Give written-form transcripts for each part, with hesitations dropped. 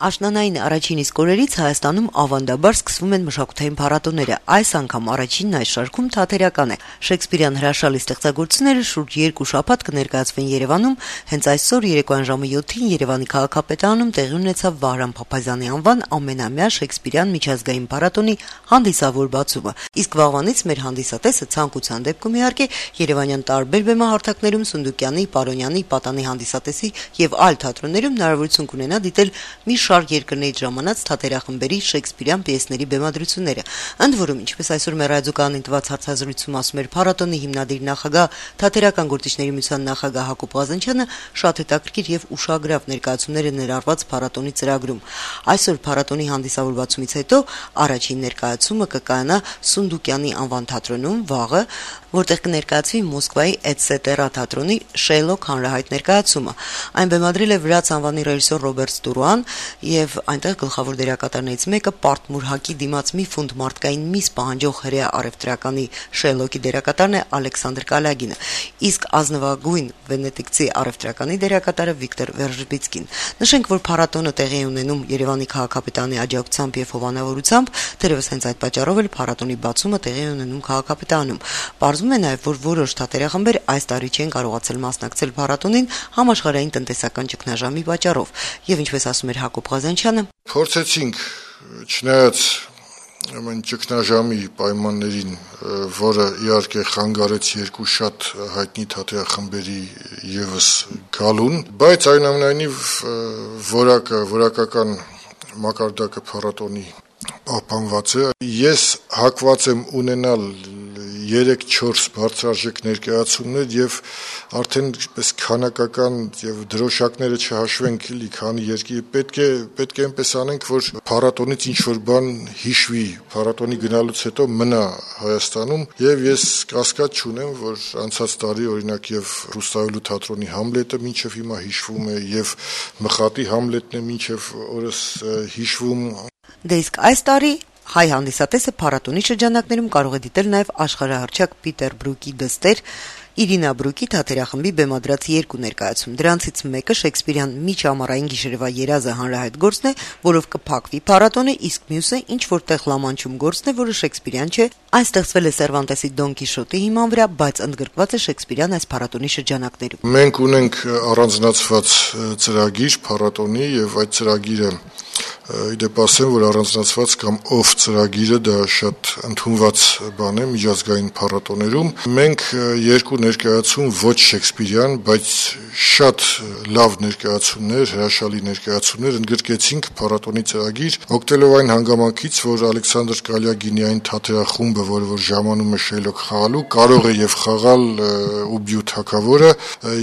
Աշնանային առաջին իսկ օրերից Հայաստանում ավանդաբար սկսվում են մշակութային փառատոները։ Այս անգամ առաջինն այս շարքում թատերական է։ Շեքսպիրյան հրաշալի ստեղծագործությունները շուրջ 2 շաբաթ կներկայացվեն Երևանում։ Հենց այսօր երեկոյան ժամը 7-ին Երևանի քաղաքապետարանում տեղի ունեցավ Վահրամ Փափազյանի անվան ամենամյա Շեքսպիրյան միջազգային փառատոնի հանդիսավոր բացումը։ Իսկ վաղվանից մեր հանդիսատեսը ցանկության դեպքում իհարկե Երևանյան տարբեր բեմահարթակներում Սունդուկյանի, Պարոնյանի, Պատանի հանդիսատեսի եւ այլ թատրոններում հնարավորություն կունենա դիտել մի շարք երկրներից ժամանած թատերախմբերի Շեքսպիրյան պիեսների բեմադրությունները։ Ընդ որում, ինչպես այսօր մեր ռադիոկայանին տված հարցազրույցում ասում էր փառատոնի հիմնադիր նախագահ, թատերական գործիչների միության նախագահ Հակոբ Ղազանչյանը, շատ հետաքրքիր եւ ուշագրավ ներկայացումներ են ներառված փառատոնի ծրագրում։ Այսօր փառատոնի հանդիսավոր բացումից հետո առաջին ներկայացումը կկայանա Սունդուկյանի անվան թատրոնում վաղը, որտեղ կներկայացվի Մոսկվայի Էտսետերա թատրոնի Շեյլոկ հանրահայտ ներկայացումը։ Այն բեմադրել է վրաց անվանի ռեժիսոր Ռոբերտ Ստուրոան եւ այնտեղ գլխավոր դերակատարներից մեկը Պարտմուրհակի դիմաց մի ֆունտ մարդկային միս պահանջող հրեա արևտրականի Շեյլոկի դերակատարն է Ալեքսանդր Կալյագինը, իսկ ազնվագույն վենետիկցի արևտրականի դերակատարը Վիկտոր Վերժբիցկին։ Նշենք, որ փառատոնը տեղի է ունենում Երևանի քաղաքապետարանի աջակցությամբ եւ հովանավորությամբ, թերևս հենց այդ պատճառով էլ փառատոնի բացումը տեղի է ունենում քաղաքապետարանում։ Պարզվում է նաեւ, որ որոշ թատերախմբեր այս տարի չեն կարողացել մասնակցել փառատոնին համաշխարհային տնտեսական ճգնաժամի պատճառով, եւ ինչպես ասում էր Հակոբ Ղազանչյանը, փորձեցինք չնայած ամեն ճգնաժամի պայմաններին, որը իհարկե խանգարեց երկու շատ հայտնի թատերախմբերի եւս գալուն, բայց այնուամենայնիվ որակական մակարդակը փառատոնի պահպանված է։ Ես հակված եմ ունենալ 3-4 բարձրարժեք ներկայացումներ եւ արդեն պես քանակական եւ դրոշակները չհաշվենք, էլի քանի երկի պետք է այնպես անենք, որ փառատոնից ինչ որ բան հիշվի, փառատոնի գնալուց հետո մնա Հայաստանում եւ ես կասկած չունեմ, որ անցած տարի օրինակ եւ Ռուստավելու թատրոնի Համլետը մինչեւ հիմա հիշվում է եւ Մխատի Համլետն է մինչեւ օրս հիշվում։ Դե իսկ այս տարի հայ հանդիսատեսը փառատոնի շրջանակներում կարող է դիտել նաև աշխարհահռչակ Պիտեր Բրուկի դստեր Իրինա Բրուկի թատերախմբի բեմադրած 2 ներկայացում։ Դրանցից մեկը Շեքսպիրյան միջամառային գիշերվա երազը հանրահայտ գործն է, որով կփակվի փառատոնը, իսկ մյուսը ինչ որտեղ լամանչում գործն է, որը Շեքսպիրյան չէ։ Այն ստեղծվել է Սերվանտեսի Դոն Կիշոտի հիման վրա, բայց ընդգրկված է Շեքսպիրյան այս փառատոնի շրջանակներում։ Մենք ունենք առանձնացված ծրագիր փառատոնի եւ այդ ծրագիրը իդեպ ասեմ, որ առանձնացված կամ ով ծրագիրը դա շատ ընդունված բան է միջազգային փառատոներում։ Մենք 2 ներկայացում ոչ Շեքսպիրյան, բայց շատ լավ ներկայացումներ, հրաշալի ներկայացումներ ընդգրկեցինք փառատոնի ծրագիր, օգտելով այն հանգամանքից, որ Ալեքսանդր Կալյագինի այն թատերախումբը, որ ժամանում է Շեյլոկ խաղալու, կարող է եւ խաղալ Ուբյու թագավորը,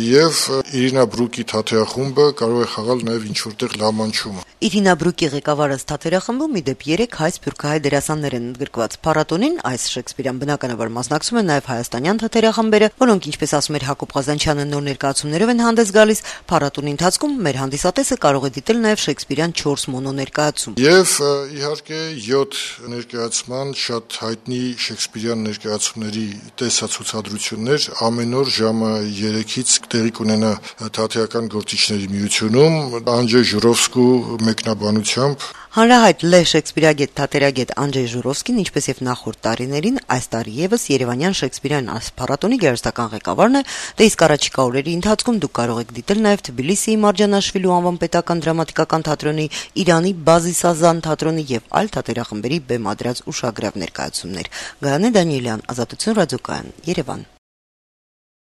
եւ Իրինա Բրուկի թատերախումբը կարող է խաղալ նաեւ ինչ որտեղ լամանչումը։ Իրինա Բրուկի ղեկավարած թատերախմբում իդեպ 3 հայ սփյուռքահայ դերասաններ են ընդգրկված։ Փառատոնին այս Շեքսպիրյան բնականաբար մասնակցում են նաև հայաստանյան թատերախմբերը, որոնք, ինչպես ասում էր Հակոբ Ղազանչյանը, նոր ներկայացումներով են հանդես գալիս։ Փառատոնի ընթացքում մեր հանդիսատեսը կարող է դիտել նաև Շեքսպիրյան 4 մոնո ներկայացում։ Եվ իհարկե 7 ներկայացման շատ հայտնի Շեքսպիրյան ներկայացումների տեսացուցադրություններ ամեն օր ժամը 3-ից տեղի կունենա թատերական գործիչների միությունում Անջեյ Ժուրովսկու մեկնաբանությամբ։ Հանրահայտ Լե Շեքսպիրագետ թատերագետ Անջեյ Ժուրովսկին, ինչպես եւ նախորդ տարիներին, այս տարի եւս Երևանյան Շեքսպիրյան փառատոնի գերստական ղեկավարն է, դե իսկ առաջիկա օրերի ընթացքում դուք կարող եք դիտել նաեւ Թբիլիսիի Մարջանաշվիլու անվան պետական դրամատիկական թատրոնի, Իրանի Բազիսազան թատրոնի եւ այլ թատերախմբերի բեմադրած ուշագրավ ներկայացումներ։ Գայանե Դանիելյան, Ազատություն ռադիոկայան, Երևան։